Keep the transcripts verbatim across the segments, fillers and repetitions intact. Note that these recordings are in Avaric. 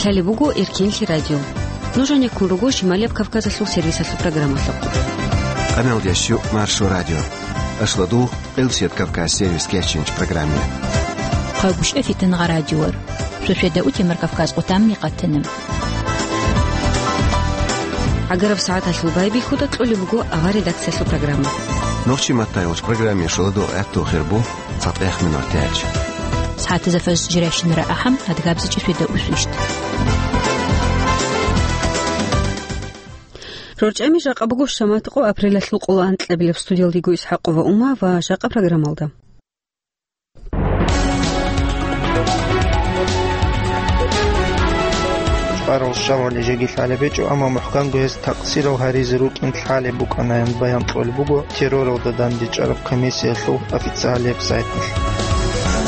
Лъалеб буго Эркенлъи радио. Нуж гьанеккун руго Шималияб Кавказалъул сервисалъул программалъухъ. Къаналдияс щу Маршо радио. Ашладу Элсият Кавказ сервис кечинч программе. Хъагушев Фитнагъа радиор. Шошеда утемар Кавказ къутамми къатана. ГӀагараб сагӀаталъул байбихьуда кьолеб буго авар редакциялъул программа. Нохчи матаялъ программе шоладо гӀатту хирбу. ЦатӀех минут тяч. СагӀатазда фаз жирайщинара ахӀам, адгабзичӀи шведа усвищт. РорчӀами жакъа буго шамат къо апрелалъул къоло анкьабилеб студиялдего Исхакова Ума ва жакъа программалда. Чварал щавали жеги лъалеб гьечӀо, амма мухӀканго гьез такъсирал гьаризе рукӀин лъалеб букӀанаян баян кьолеб буго терроралда дандечӀараб комиссиялъул официалияб сайталъ.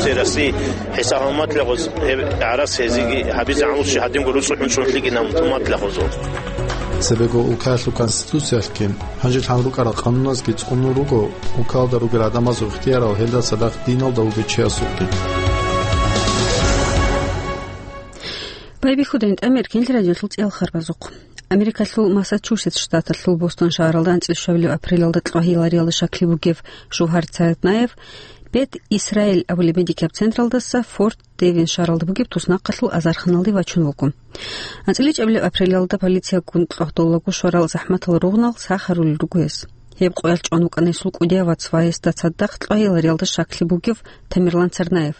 Цераси ХӀиса гьалматлагъуз гьеб гӀарас гьезиги гьабизе гӀамулщи гьадинго руцӀухӀун чӀунлъигинаб туматлагъузул. Цебего улкаялъул конституциялъгин, гьанже лъан рукӀарал къануназги цӀунун руго, улкалда ругел гӀадамазул ихтиярал гьелда цадахъ диналда вугев чиясулги. Байбихьудайн тӀамер кинлъи радиолъул цӀел харбазухъ. Америкалъул Массачусетс штаталъул Бостон шагьаралда анцӀил щвабилеб апрелалда кьвагьиялариялда щаклъи бугев Жовгьар Царатнаев Бет Исраил абулеб медикаб централдаса Форт Девин шагьаралда бугеб туснахъалъул азарханалде вачун вуго. АнцӀила чӀабилеб апрелалда полициягун кьвагьдолаго щварал захӀматал ругънал сахарулел руго гьес. Гьеб къоялъ чӀван вукӀана гьесул кӀудияв вац ва гьесда цадахъ кьвагьиялариялда щаклъи бугев Тамерлан Царнаев.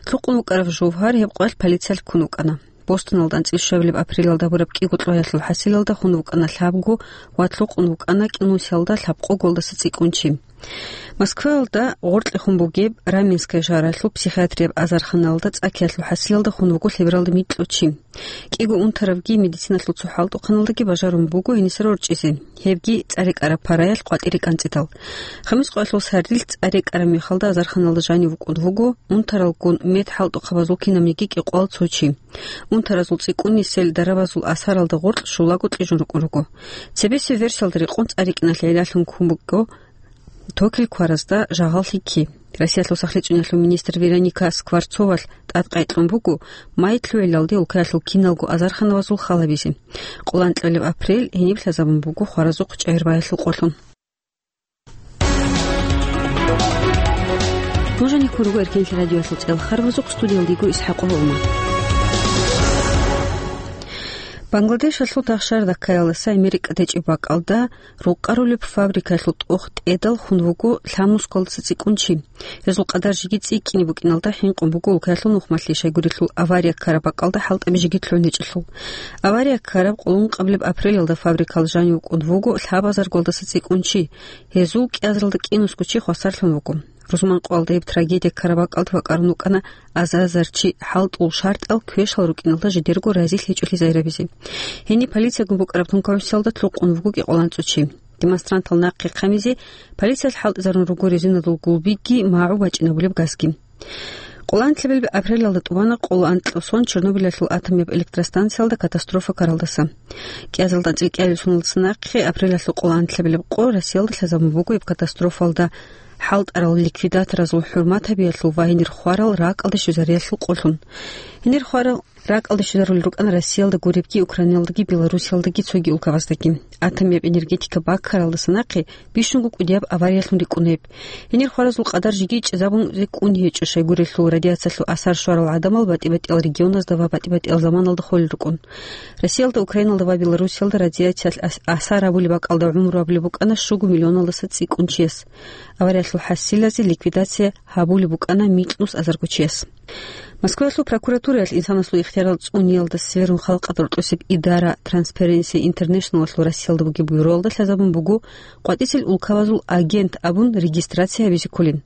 Лъукъун вукӀарав Жовгьар гьеб къоялъ полициялъ ккун вукӀана. Бостоналда анцӀила щвабилеб апрелалда гьабураб кӀиго кьвагьиялъул хӀасилалда хун вукӀана лъабго ва лъукъун вукӀана кӀинусиялда лъабкъого голдаса цӀикӀкӀун чи. Москваялда гъоркье хун бугеб Раменская шагьаралъул психиатрияб азарханалда цӀакиялъул хӀасилалда хун вуго лъебералда микьго чи. КӀиго унтаравги медициналъул цо хӀалтӀухъаналдаги бажарун буго гьениса рорчӀизе, гьебги цӀарекӀараб параялъ къватӀире кӀанцӀидал. Хамис къоялъул сардилъ цӀарекӀараб мехалда азарханалда жанив вукӀун вуго унтаралгун медхӀалтӀухъабазул кинабниги кӀикъоял цо чи. Унтаразул цӀикӀкӀунисел дарабазул асаралда гъоркь щулаго кьижун рукӀун руго. Цебесеб версиялда рекъон цӀарикӀиналъе гӀиллалъун ккун буго токил кваразда жагьал лъикӀлъи. Россиялъул сахлъи цӀуниялъул министр Вероника Скворцовалъ тӀадкъай кьун буго, май лъугӀиналде улкаялъул киналго азарханавазул хал гьабизе. Къоло анкьабилеб апрель гьениб лъазабун буго хваразухъ чӀегӀербаялъул къолъун. Нуж гьанеккун руго Эркенлъи радиоялъул цӀел харбазухъ, студиялда йиго Исхакъова Ума. Бангладешалъул тахшар Даккаялдаса Америка течӀеб бакӀалда рукъарулеб фабрикаялъул тӀох тӀедал хун вуго лъаб нусгоялдаса цӀикӀкӀун чи. Гьезул къадар жеги цӀикӀкӀине букӀиналда хӀинкъун буго улкаялъул нухмалъи, щайгурелъул авария ккараб бакӀалда хӀалтӀаби жеги лъугӀун гьечӀелъул. Авария ккараб къоло ункъабилеб апрелалда фабрикалда жанив вукӀун вуго лъабазаргоялдаса цӀикӀкӀун чи. Гьезул кӀиазаралда кӀинусго чи хвасарлъун вуго. Рузманкъоялда гьеб трагедия ккараб бакӀалда вакӀарун вукӀана азар-азар чи хӀалтӀул шартӀал квешал рукӀиналда жидерго разилъи гьечӀолъи загьирабизе. Гьениб полициягун букӀараб тункаусиялда лъукъун вуго кӀикъоялда анцӀго чи. Демонстрантал нахъе хъамизе полициялъ хӀалтӀизарун руго резиналул гулбиги магӀу бачӀинабулеб газги. Къоло анкьабилеб апрелалда тӀубана къоло анкьго сон Чернобыльалъул атомияб электростанциялда катастрофа ккаралдаса. КӀиазалда анцӀила кӀиабилеб соналдаса нахъе апрелалъул къоло анкьабилеб къо Россиялда лъазабун буго гьеб катастрофалда хӀалтӀарал ликвидаторазул хӀурмат гьабиялъул ва гьенир хварал ракӀалде щвезариялъул къолъун. Гьенир хварал ракӀалде щвезарулел рукӀана Россиялда гуребги, Украиналдаги, Белоруссиялдаги цоги улкабаздаги. Атомияб энергетика баккаралдаса нахъе бищунго кӀудияб авариялъун рикӀкӀун гьеб. Гьенир хваразул къадар жеги чӀезабун рикӀкӀун гьечӀо, щайгурелъул радиациялъул асар щварал гӀадамал батӀи-батӀиял регионазда ва батӀи-батӀиял заманалда холел рукӀун. Россиялда, Украиналда ва Белоруссиялда радиациялъ ас-, асар гьабулеб бакӀалда гӀумру гьабулеб букӀана щуго миллионалдаса цӀикӀкӀун чияс. Авариялъул хӀасилазе ликвидация гьабулеб букӀана микьнус азарго чияс. Москваялъул прокуратураялъ инсанасул ихтиярал цӀуниялда сверун халкъалда рокьосеб идара Transparency International-алъул Россиялда бугеб бюроялда лъазабун буго къватӀисел улкабазул агент абун регистрация гьабизе кколин.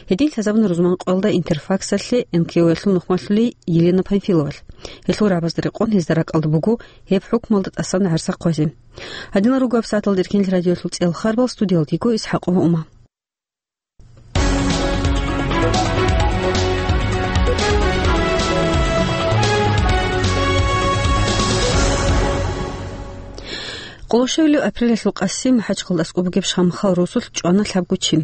Гьедин лъазабуна рузманкъоялда Интерфаксалъе НКО-ялъул нухмалъулей Елена Панфиловалъ. Гьелъул рагӀабазда рекъон гьезда ракӀалда буго гьеб хӀукмалда тӀасан гӀарса хъвазе. Гьадинал руго гьаб сагӀаталда Эркенлъи радиоялъул цӀел харбал, студиялда йиго Исхакъова Ума. Къолошевлев апрелалъул къаси МахӀачхъалда аскӀоб бугеб Шамхал росулъ чӀвана лъабго чи.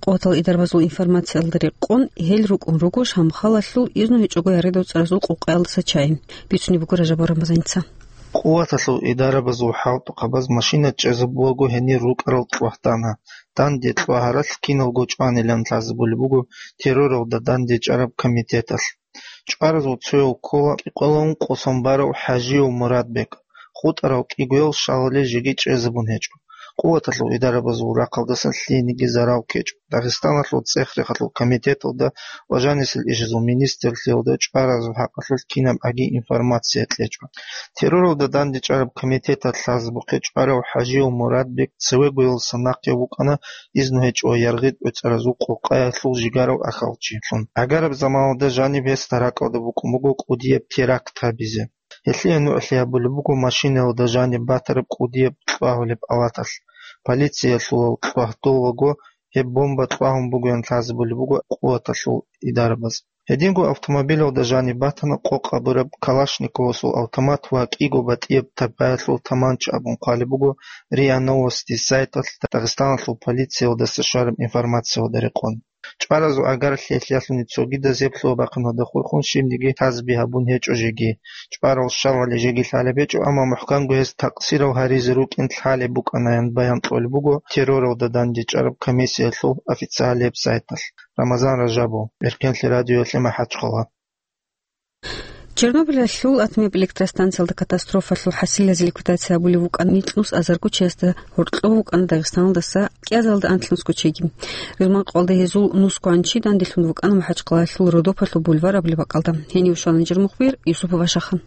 Къуватал идарабазул информациялда рекъон, гьел рукӀун руго Шамхалалъул изну гьечӀого яргъидал цӀаразул къокъаялдаса чагӀи. Бицунеб буго Ражабов Рамазаница. Къуваталъул идарабазул хӀалтӀухъабаз машина чӀезабулаго гьенир рукӀарал кьвагьтана, данде кьвагьаралъ киналго чӀванилан лъазабулеб буго терроралда дандечӀараб комитеталъ. ЧӀваразул цояв ккола кӀикъоялда ункъо сон барав ХӀажиев Мурадбек, хутӀарав кӀигоял щалале жеги чӀезабун гьечӀо. Къуваталъул идарабазул рахъалдасан лъиениги зарал ккечӀо. Дагъистаналъул цӀех-рехалъул комитеталда ва жанисел ишазул министрлъиялда чӀваразул хӀакъалъулъ кинаб аги информация кьечӀо. Терроралда дандечӀараб комитеталъ лъазабухъе чӀварав ХӀажиев Мурадбек цевегоялдаса нахъе вукӀана, изну гьечӀо яргъид-оцӀаразул къокъаялъул жигарав ахьалчилъун. Гьагараб заманалда жаниб гьесда ракӀалда букӀун буго кӀудияб теракт гьабизе. Гьелъие нугӀлъи гьабулеб буго машинаялда жаниб батараб кӀудияб кьвагьулеб палаталъ. Полициялъулал кьвагьдолаго гьеб бомба кьвагьун бугоян лъазабулеб буго къуваталъул идарабаз. Гьединго автомобилалда жаниб батана къокъ абураб Калашниковасул автомат ва кӀиго батӀияб тапаялъул таманча абун хъвалеб буго РИА Новости сайталъ Дагъистаналъул полициялдаса щвараб информациялда рекъон. ЧӀваразул агарлъиялъе лъалъуни цогидаз гьеб лъугьа-бахъиналда хурхун щибниги лъазаби гьабун гьечӀо жеги. ЧӀварал щалале жеги лъалеб гьечӀо, амма мухӀканго гьез такъсирав гьаризе рукӀин лъалеб букӀанаян баян кьолеб буго терроралда дандечӀараб комиссиялъул официалияб сайталъ. Рамазан Ражабов, Эркенлъи радиоялъе МахӀачхъала. Чернобылалъул атомияб электростанциялда катастрофалъул хӀасилазе ликвидация гьабулев вукӀан микьнус азарго чиясда гьоркьов вукӀана Дагъистаналдаса кӀиазаралда анлънусго чиги. Рузманкъвалда гьезул нусгоан чи данделъун вукӀана МахӀачхъалалъул Родопалъул бульвар абулеб бакӀалда. Гьенив щвана нижер мухбир Юсупов Ашахан.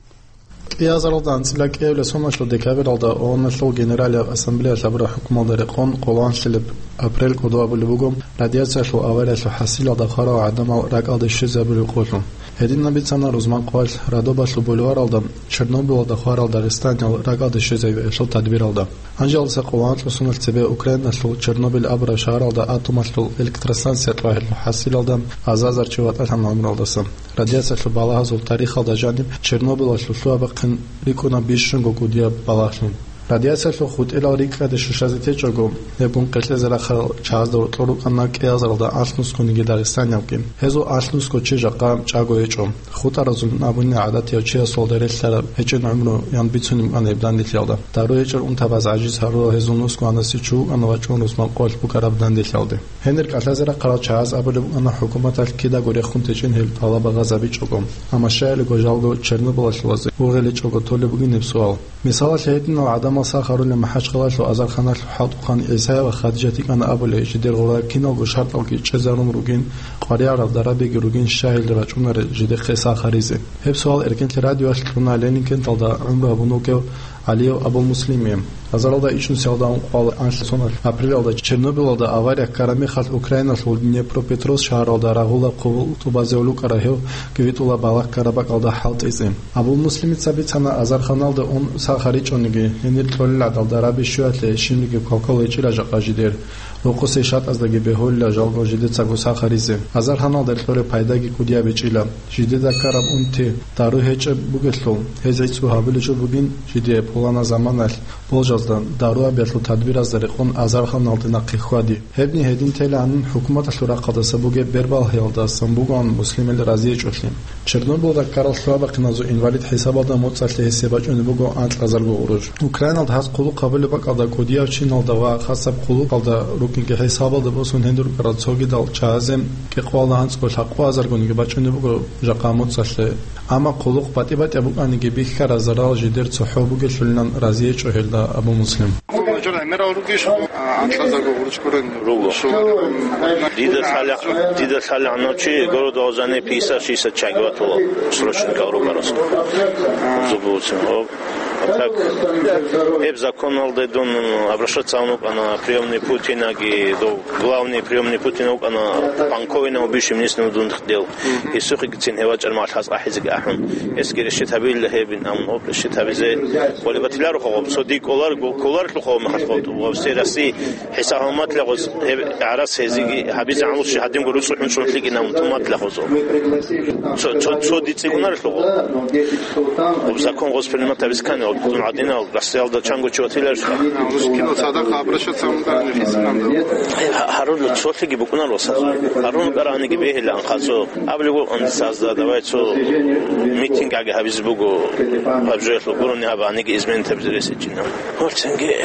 КӀиазаралда анцӀила кӀиабилеб соналъул декабралда ООН-алъул Генералияб Ассамблеялъ гьабураб хӀукмуялда рекъон къоло анлъилеб апрель кӀодо абулеб буго радиациялъул авариялъул хӀасилалда хварал гӀадамал ракӀалде щвезабулеб къолъун. Гьединаб бицана рузманкъвалъ Родопалъул бульваралда Чернобылалда хварал дагъистаниял ракӀалде щвезабиялъул тадбиралда. Гьанжеялдаса къоло анлъго соналъ цебе Украиналъул Чернобыль абураб шагьаралда атомалъул электростанция тӀагӀирлъул хӀасилалда азар-азар чи ватӀалъана гӀумруялдаса. Радиациялъул балагьазул тарихалда жаниб Чернобылалъул лъугьа-бахъин рикӀкӀуна бищунго кӀудияб балагьлъун. Радиациялъул хутӀилал рикӀкӀаде щущазе течӀого, гьеб гун къеркьезе рахъарал чагӀазда гьоркьор рукӀана кӀиазаралда анлънусгониги дагъистаниябги. Гьезул анлънусго чи жакъа чӀаго гьечӀо. ХутӀаразул абуни гӀадатияв чиясулда релълъараб гьечӀин гӀумруян бицунеб букӀана гьеб данделъиялда. Дару гьечӀел унтабаз гӀажиз гьарурал гьезул нусгоанасе чу вукӀана вачӀун рузманкъвалъ букӀараб данделъиялде. Гьенир кӀалъазе рахъарал чагӀаз абулеб букӀана хӀукуматалъ кидаго рехун течӀин гьел тӀалаб гьабизабичӀого. Амма щайилго жалго Чернобылалъул вазе гьургъеличӀого толеб бугин гьеб суал. Мисалалъе, гьединал гӀадамал сах гьарулел МахӀачхъалалъул азарханалъул хӀалтӀухъан ГӀисая ва Хадижат йикӀана абулей, жидер гъоркьа киналго шартӀалги чӀезарун ругин, къваригӀараб дарабиги ругин, щай гьел рачӀунарел жидехъе сах гьаризе. Гьеб суал Эркенлъи радиоялъ кьуна Ленинкенталда гӀумру гьабун вугев ГӀалиев Абу-Муслимие. Азаралда ичӀнусиялда ункъоялда анлъго соналъ апрелалда Чернобылалда авария ккараб мехалъ Украиналъул Днепропетровск шагьаралда рагъулаб хъубул тӀубазе вукӀарав гьев кӀивитӀулаб балагь ккараб бакӀалда хӀалтӀизе. Абу-Муслимица бицана, азарханалде ун сах гьаричӀониги, гьенир кьолел гӀадал дараби щуялъе щибниги квалквал гьечӀила жакъа жидер. Рокъосе шатӀаздаги бегьулила жалго жидецаго сах гьаризе. Азарханалде кьолеб пайдаги кӀудияб гьечӀила. Жидеда ккараб унти, дару гьечӀеб бугелъул, гьез гӀицӀго гьабулеб жо бугин жидее пуланаб заманалъ болжазда, дару гьабиялъул тадбиразда рекъон азарханалде нахъе хьвади. Гьебни гьедин телаанин, хӀукуматалъул рахъалдаса бугеб бербалъиялдасан бугоан муслимил разиечӀолъи. Чернобылда ккарал лъугьа-бахъиназул инвалид хӀисабалда моцӀалъе гьесие бачӀунеб буго анкьазарго гъурущ. Украиналда гьаз хъулухъ гьабулеб бакӀалда кӀудияв чиналда ва хасаб хъулухъалда рукӀинги хӀисабалда босун гьенир рукӀарал цогидал чагӀазе кӀикъоялда анцӀго лъабкъоязаргониги бачӀунеб буго жакъа моцӀалъе. Амма хъулухъ батӀи-батӀияб букӀаниги, бихьараб зарал жидер цохӀо бугелъулилан разиечӀо гьелда Абу-Муслим. Руго. Дида лъала-, дида лъалегӀанав чи городалъ жаниб пятьдесят-шестьдесят чагӀи ватула срочникал рукӀарас. Зубуцин, гьоб. А так, гьеб законалде дун обращаться гьавун вукӀана приёмный Путинаги, дов главный приёмный Путина вукӀана Панковина, бывший министр внутренних дел. Гьесухъегицин гьев вачӀарав мехалъ гьас ахӀизеги ахӀун. Гьесги решить гьабила гьебин, амма гьоб решить гьабизе хъвалеб батиларо гьоб. Цо дие кӀолар-, кӀоларлъухъ гьоб мехалъ гьоб. Ва все Россия хӀисаб гьабун батила гьез гьеб гӀарац гьезиги гьабизе гӀамру щи гьадинго руцӀцӀухӀун чӀун лъикӀин амун тун батила гьозо. Цо, цо, цо дицӀигунарелъухъ гьоб. Гьоб закон гьос принимать гьабизе ккани гьоб. Дун гӀадинал гӀасиялда чанго чи ватиларищха? Кино цадахъ обращаться гьабун карани хисиланда. Гьа-, гьарулел цолъиги букӀунар васазул. Гьарун караниги бегьилан хъазо. Абулев вукӀун дица азда, давай цо митинг аги гьабизе буго. Гьаб жоялъул гурони гьабаниги изменить гьабизе ресичӀина. Гьорцинги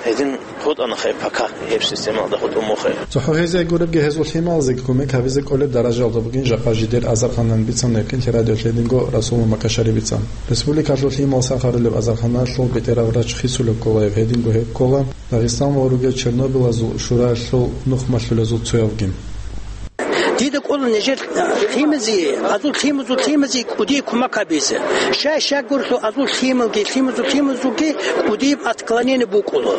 гьедин гьутӀана хай пока гьеб системалда гьутӀун мухъе. ЦохӀо гьезие гуребги гьезул лъималазеги кумек гьабизе кӀолеб даражалда бугин жакъа жидер Азарханан бицана, Эркин радиолъ гьединго Расулул Макашари бицан. Республикалъул лъимал сахарулев Азарханалъул бетӀерав врач хисулев ккола, гьединго гьеб ккола Дагъистан ва ругел Чернобылазул шураялъул нухмалъулазул цоявги. Дида кӀола нижер лъимазе, азул лъимазул лъимазе кӀудияб кумек гьабизе. Щай-щай гурлъу азул лъималги, лъимазул лъимазулги кӀудияб отклонение букӀула.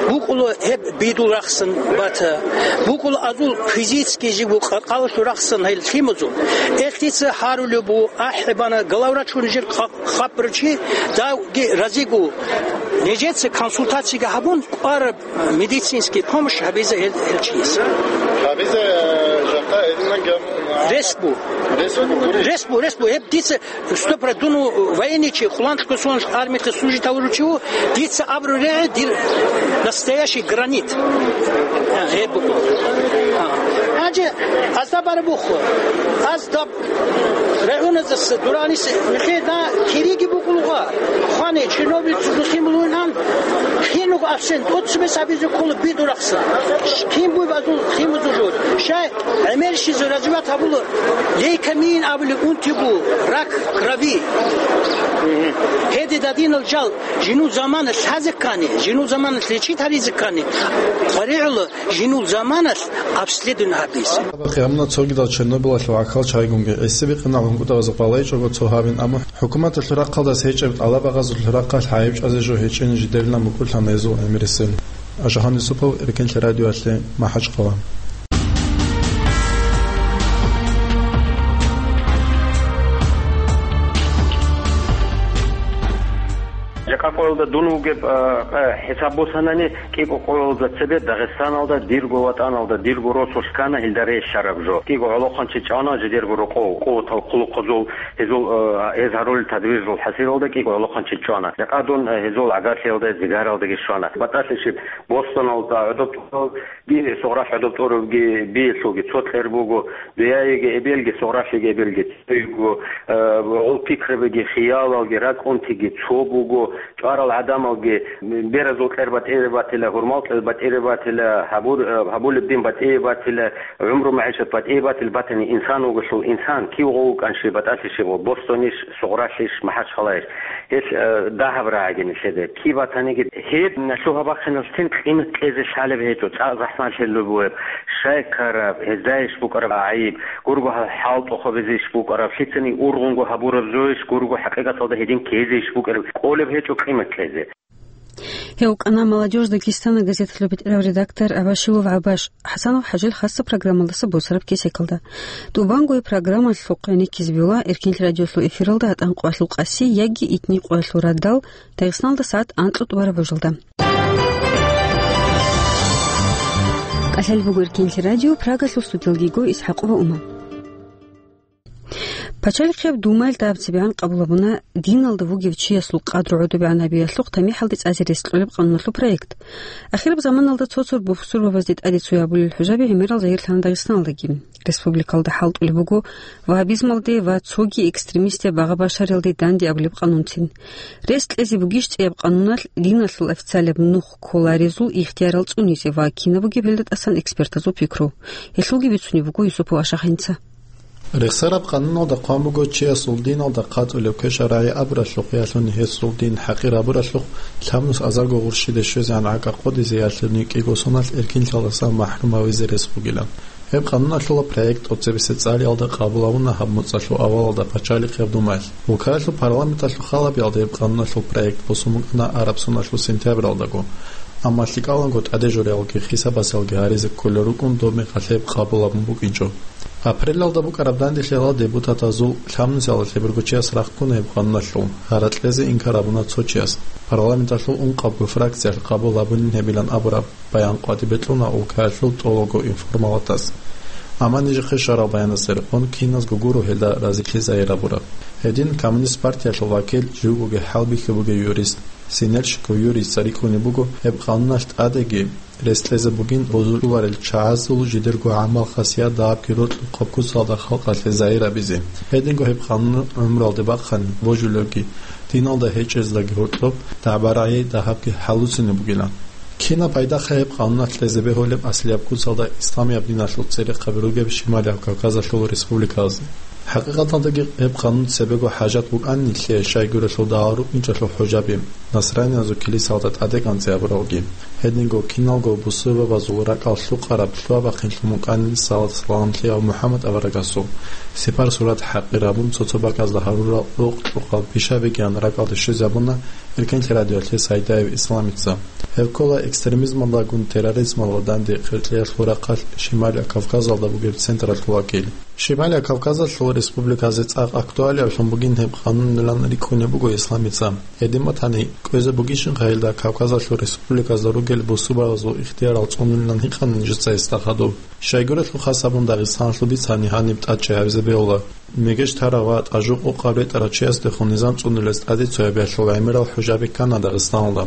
БукӀула гьеб бидул рахсан бата. БукӀула азул физически жибу къа-, къалалъул рахсан гьел лъимазул. Эх, дица гьарулеб бу, ахӀи бана, главврач вугин жер къа-, хапарав чи, давги разиго. Нижеца консультациги гьабун, кӀвараб медицинский помощь гьабизе гьел, гьел чияс. Гьабизе, э, жакъа гьединан гьаб-, Рес бу. Рес бу, гури. Рес бу, рес бу. Гьеб дица сто процентов дун военный чи, къуланлъго сон армиялъе служить гьавурав чи ву, дица абру регӀи дир настоящий гранит. А, гьеб бу. А. Гьанже азда барабухъ. Азда регӀуназаса дуранис михеда кириги букӀулгъа. Хване, Чернобыль цугу лъимал вугин, хинуго абсент, тӀоцебесеб абизе ккола бидул рахса. Кин буй базул лъимазул жо. Щай гӀемерщизе развивать гьабула лейкемия абулеб унти бу, рак крови. Гьеде дадинал жал, жинул замана лъазе ккани, жинул замана лечить гьаризе ккани, къваригӀула жинул заманалъ обследование гьабизе. Гьаб гьамуна цогидал Чернобылалъул гӀахьал чайгунги. ГӀиси бикъинал гьункӀутӀабазухъ балайчӀого цо гьабин, амма хӀукуматалъул рахъалдаса гьечӀеб тӀалаб-багъазул рахъалъ гӀайиб чӀвазе жо гьечӀин жидерилан букӀурлъана гьезул гӀемерисел. Ажагьан Юсупов, Эркин телерадиоялъе, МахӀачхъала. Жакъа къоялда дун вугеб, а, а, хӀисаб босанани, кӀикӀо къоялда цебе Дагъистаналда, дирго ватӀаналда, дирго росулъ ккана гьелда релълъараб жо. КӀикӀо гӀолохъанчи чӀвана жидерго рокъов, къуватал хъулухъазул, гьезул, а, гьез гьарулел тадбирзул хӀасилалда кӀикӀо гӀолохъанчи чӀвана. Жакъа дун, а, гьезул гӀагарлъиялда, зигаралдаги щвана. БатӀалъи щиб, Бостоналда гӀодоб тӀурав, би, Сугъралъ гӀодоб тӀуравги, биялъулги цо кьер буго, дуяеги эбелги, Сугъралъиги эбелги цойго, э, гьул пикрабиги, хиялалги, ракӀунтиги цо буго, чӀварал гӀадамалги, беразул кьер батӀире батила, гьурмал кьер батӀире батила, гьабур-, э, гьабулеб дин батӀире батила, гӀумру-магӀишат батӀире батила, батани инсан вуголъул инсан, кив гъов вукӀанщи, батӀалъи щиб, Бостонищ, Сугъралъищ, МахӀачхъалайищ. Гьелъ, э, дагьаб рагӀаги нилъеда. Киб батаниги гьеб лъугьа-бахъиналъ цин къимат кьезе лъалеб гьечӀо, цӀакъ захӀмалъи лугьуеб, щай ккараб, гьезда иш букӀараб гӀайиб, гурго гьал-, хӀал тӀохобизе иш букӀараб, лъицани ургъунго гьабураб зоищ, гурго хӀакъикъаталда гьедин ккезе иш букӀараб, кколеб гьечӀо къимат кьезе. Гьев вукӀана «Молодёжь Дагестана» газеталъул бетӀерав редактор Абашилов ГӀабаш. ХӀасанов ХӀажил хасса программалдаса босараб кесекалда. ТӀубанго программалъухъ гӀенеккизе бегьула Эркин радиолъул эфиралда гьатӀан къоялъул къаси яги итни къоялъул радал Дагъисталда сагӀат анкьго тӀубараб божалда. КӀалъалеб буго Эркин радио, Прагалъул студиялда йиго ИсхӀакъова Ума. Пачалихъияб Думаялъ дагьаб цебегӀан къабул гьабуна диналда вугев чиясул къадру гӀодобегӀан гьабиялъухъ тамихӀалде цӀазе рес кьолеб къануналъул проект. Ахираб заманалда цо-цо бусурбабазде тӀаде цояб гьабулел хӀужаби гӀемерал загьирлъана Дагъисталдаги. Республикалда хӀалтӀулеб буго вагьабизмалде ва цоги экстремистаб багъа-башариялде данде абулеб къанунцин. Рес кьезе бугищ цӀияб къануналъ диналъул официалаб нух кколарезул ихтиярал цӀунизе ва кинаб бугеб гьелда тӀасан экспертазул пикру? Гьелъулги бицунеб буго Юсупов Ашахинца. Рехсараб къануналда хъван буго, чиясул диналда хъатӀулеб квешаб рагӀи абуралъухъ, ялъуни гьесул дин хӀакъир гьабуралъухъ, лъабнус азарго гъурщиде щвезегӀан гӀакъа къодизе, ялъуни кӀиго соналъ эркинлъиялдаса махӀрум гьавизе рес бугилан. Гьеб къануналъула проект тӀоцебесеб цӀалиялда къабул гьабуна гьаб моцӀалъул авалалда Пачалихъияб Думаялъ. Улкаялъул парламенталъул халабиялда гьеб къануналъул проект босун букӀана араб соналъул сентябралдаго. Амма лъикӀаланго тӀадежуриялги хисабасалги гьаризе кколел рукӀун, доб мехалъ гьеб къабул гьабун букӀинчӀо. Апрелалда букӀараб данделъиялда депутатазул лъабнусиялда лъеберго чияс рахъуна гьеб къануналъул, гьаракь кьезе инкар гьабуна цо чияс. Парламенталъул ункъабго фракциялъ къабул гьабунин гьебилан абураб баян къватӀибе кьуна улкаялъул тӀолабго информалатас. Амма нижехъе щварал баянасда рекъон киназго гуро гьелда разилъи загьир гьабураб. Гьедин Коммунист партиялъул вакил, живго хӀалбихьи бугев юрист Синельщиков Юрийица рикӀкӀунеб буго гьеб къануналъ тӀадеги рес кьезе бугин бозуларел чагӀазул жидерго гӀамал-хасият дагьабги рокьухъаб куцалда халкъалъе загьир гьабизе. Гьединго гьеб къанун гӀумруялде бахъани, божулевги, диналда гьечӀездаги гьоркьоб дагӀба-рагӀи дагьабги хӀалуцинаб бугилан. Кинаб пайдахъе гьеб къануналъ кьезе бегьулеб аслияб куцалда исламияб диналъул церехъаби ругеб Шималияб Кавказалъул республикаялъе? ХӀакъикъаталдаги гьеб къанун цебего хӀажат букӀанилъе, щайгурелъул дагьал рукӀинчӀалъул хӀужаби, насраниязул килисаялда тӀаде кӀанцӀи гьабуралги. Гьединго киналго бусурбабазул ракӀал лъукъараб лъугьа-бахъинлъун букӀанин салат-саламлъи гьав МухӀаммад аварагасул сипар-сурат хӀакъир гьабун, цо-цо бакӀазда гьарурал рукъ-рукъал пишабигиян ракӀалде щвезабуна Эркенлъи радиоялъе Сайдаев Исламица. Гьеб ккола экстремизмалдагун терроризмалда данде къеркьеялъул рахъалъ Шималияб Кавказалда бугеб централъул вакил. Шималияб Кавказалъул республиказе цӀакъ актуалиаблъун бугин гьеб къанунилан рикӀкӀунеб буго Исламица. Гьедин батани, кӀвезе бугищинха гьелда Кавказалъул республиказда ругел бусурбабазул ихтиярал цӀунулилан гьикъана нижеца гьесда хадуб. Щайгурелъул хас гьабун Дагъистаналъул бицани гьаниб тӀадчӀей гьабизе бегьула. Мегеж тарав ва тӀажу къокъаб ретӀарав чиясдехун низам цӀунулес тӀаде цоябиялъул гӀемерал хӀужаби ккана Дагъистаналда.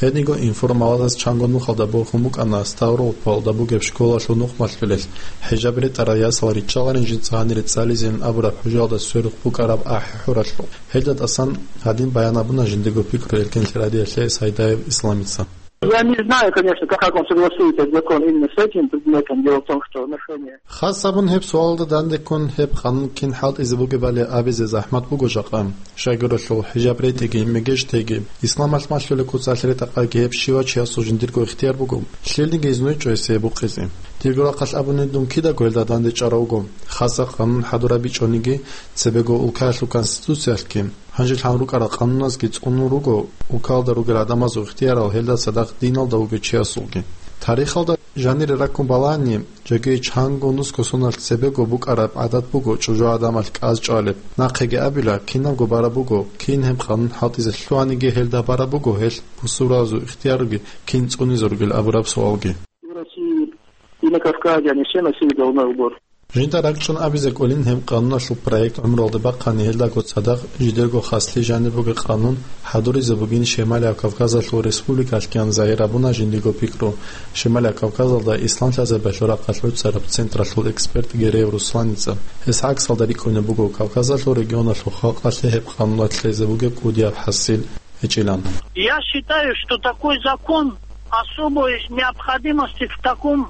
Гьединго информалазас чанго нухалда борхун букӀана Ставрополалда бугеб школалъул нухмалъулел хӀижаб ретӀарал ясал риччаларин жинца гьанире цӀализейин абураб хӀужалда сверухъ букӀараб ахӀи-хӀуралъухъ. Гьелда тӀасан гьадин баян гьабуна жиндирго пикру Эркенлъи радиоялъе Сайдаев Исламица. Я не знаю, конечно, как, как он согласуется закон именно с этим предметом. Дело в том, что нарушение Хас гьабун гьеб суалда дандеккун гьеб къанун кин хӀалтӀизе бугебали абизе захӀмат буго жакъа. Щайгурелъул хӀижаб ретӀиги, мегеж теги, исламалъ малъулеб куцалъ ретӀахъайги гьеб щивав чиясул жиндирго ихтияр буго, лъилниги изнуй чӀвезе букъизе. Дирго рахъалъ абуни, дун кидаго гьелда дандечӀарав вуго, хасаб къанун хӀадураб бичӀониги, цебего улкаялъул конституциялъги, гьанже лъан рукӀарал къануназги цӀунун руго улкалда ругел гӀадамазул ихтиярал гьелда цадахъ диналда вугев чиясулги. Тарихалда жанире раккун балагьани, жеги чанго нусго соналъ цебего букӀараб гӀадат буго чӀужугӀаданалъ кӀаз чӀвалеб. Нахъеги абила, кинабго бараб буго, кин гьеб къанун хӀалтӀизе лъугьаниги гьелда бараб буго гьелъ бусурбабазул ихтиярги кин цӀунизе ругел абураб суалги. В России и на Кавказе они все носили головной убор. Жинда ракӀчӀун абизе кӀолин гьеб къануналъул проект гӀумруялде бахъани гьелдаго цадахъ жидерго хаслъи жаниб бугеб къанун хӀадуризе бугин Шималияб Кавказалъул республикалъгиян загьир гьабуна жиндирго пикру Шималияб Кавказалда исламлъазабиялъул рахъалъ гӀуцӀараб централъул эксперт Гереев Русланица. Гьес гӀаксалда рикӀкӀунеб буго Кавказалъул регионалъул халкъалъе гьеб къануналъ лъезе бугеб кӀудияб хӀасил гьечӀилан. Я считаю, что такой закон особой необходимости в таком,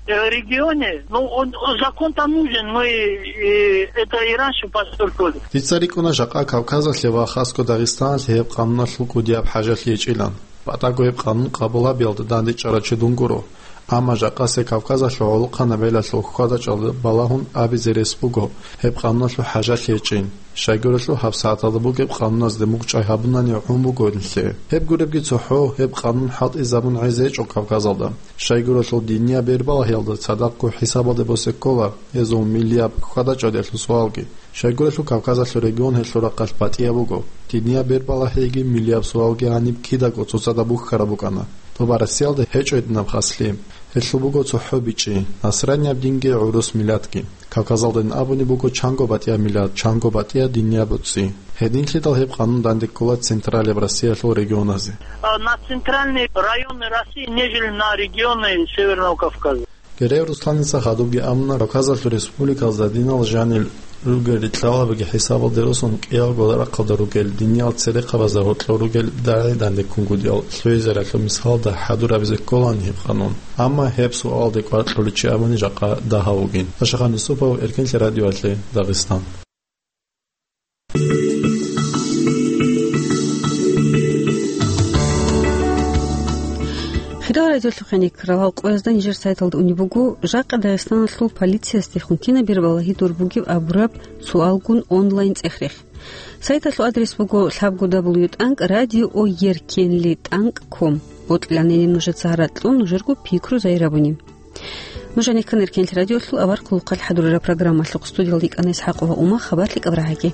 э, регионе, ну, он, закон-то нужен, мы, э, это и раньше подчеркивали. Дица рикӀкӀуна жакъа Кавказалъе ва хасго Дагъистаналъе гьеб къануналъул кӀудияб хӀажалъи гьечӀилан. БатӀаго гьеб къанун къабул гьабиялда дандечӀарав чи дун гуро. Амма жакъасеб Кавказалъул гӀолохъанаб гӀелалъул хьвада-чӀвада балагьун абизе рес буго гьеб къануналъул хӀажалъи гьечӀин. Щайгурелъул гьабсагӀаталда бугеб къануназде мугъчӀвай гьабунани гӀун буго нилъее. Гьеб гуребги цохӀо, гьеб къанун хӀалтӀизабун гӀезечӀо Кавказалда. Щайгурелъул динияб бербалагьиялда цадахъго хӀисабалде босе ккола гьезул миллияб хьвада-чӀвадиялъул суалги. Щайгурелъул Кавказалъул регион гьелъул рахъалъ батӀияб буго. Динияб бербалагьиги миллияб суалги гьаниб кидаго цоцазда бухьараб букӀана. Доба Россиялда гьечӀо гьединаб хаслъи. Гьелъул буго цохӀо бичӀчӀи: насранияб динги гӀурус миллатги. Кавказалдайин абуни буго чанго батӀияб миллат, чанго батӀияб динияб боцӀи. Гьединлъидал гьеб къанун данде ккола Централияб Россиялъул регионазе. А, на центральные районы России, нежели на регионы Северного Кавказа. Гереев Русланица хадубги абуна, Кавказалъул республикалазда динал жанир ругел рикьалабиги хӀисабалде росун, кӀиялго рахъалда ругел диниял церехъабазда гьоркьор ругел дагӀи дандеккунгутӀиял лъугӀизаралъул мисалда хӀадурабизе кколаан гьеб къанун. Амма гьеб суалалде кӀвар кьолев чи абуни жакъа дагьав вугин. Ашахан Юсупов, Эркенлъи радиоялъе, Дагъистан. Хирал радиолъухъен экран къоязда нижер сайталда унеб буго, жакъа Дагъистаналъул полициясдехун кинаб бербалагьи дур бугеб абураб суалгун онлайн цӀех-рех. Сайталъул адрес буго лъабго дабл ю тӀанкӀ радио о еркенли тӀанкӀ ком. Бокьиланани нужеца гьаракь кьун нужерго пикру загьир гьабуни. Нуж гьанир ккана Эркенлъи радиолъул авар хъулухъалъ хӀадурараб программалъухъ. Студиялда йикӀана ИсхӀакъова Ума. Хабарлъи кӀабрагӀаги.